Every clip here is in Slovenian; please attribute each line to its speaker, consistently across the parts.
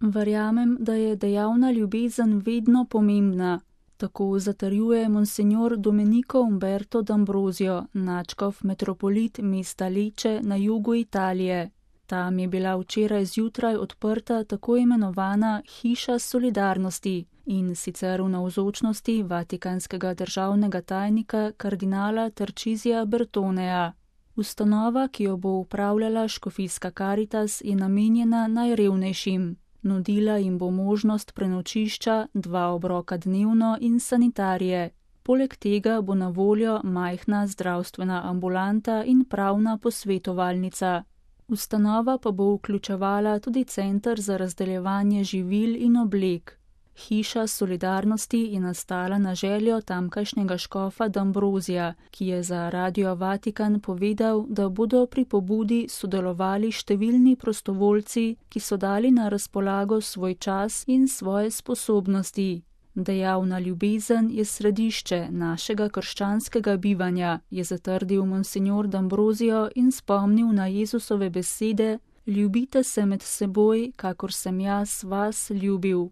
Speaker 1: Verjamem, da je dejavna ljubezen vedno pomembna. Tako zatrjuje monsignor Domenico Umberto D'Ambrosio, nadškof metropolit mesta Lecce na jugu Italije. Tam je bila včeraj zjutraj odprta tako imenovana Hiša solidarnosti, in sicer v navzočnosti vatikanskega državnega tajnika kardinala Tarcisija Bertoneja. Ustanova, ki jo bo upravljala škofijska Karitas, je namenjena najrevnejšim. Nudila jim bo možnost prenočišča, 2 obroka dnevno in sanitarije. Poleg tega bo na voljo majhna zdravstvena ambulanta in pravna posvetovalnica. Ustanova pa bo vključevala tudi center za razdeljevanje živil in oblek. Hiša solidarnosti je nastala na željo tamkajšnjega škofa D'Ambrosija, ki je za Radio Vatikan povedal, da bodo pri pobudi sodelovali številni prostovoljci, ki so dali na razpolago svoj čas in svoje sposobnosti. Dejavna ljubezen je središče našega krščanskega bivanja, je zatrdil monsignor D'Ambrosio in spomnil na Jezusove besede: ljubite se med seboj, kakor sem jaz vas ljubil.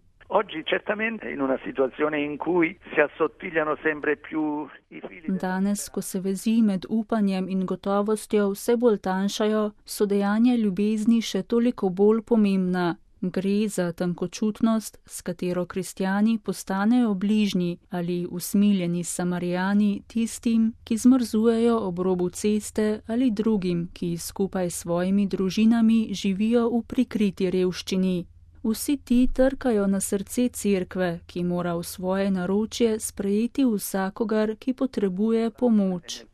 Speaker 1: Danes, ko se vezi med upanjem in gotovostjo vse bolj tanjšajo, so dejanja ljubezni še toliko bolj pomembna. Gre za tankočutnost, s katero kristjani postanejo bližnji ali usmiljeni Samarijani tistim, ki zmrzujejo ob robu ceste, ali drugim, ki skupaj s svojimi družinami živijo v prikriti revščini. Vsi ti trkajo na srce cerkve, ki mora v svoje naročje sprejeti vsakogar, ki potrebuje pomoč.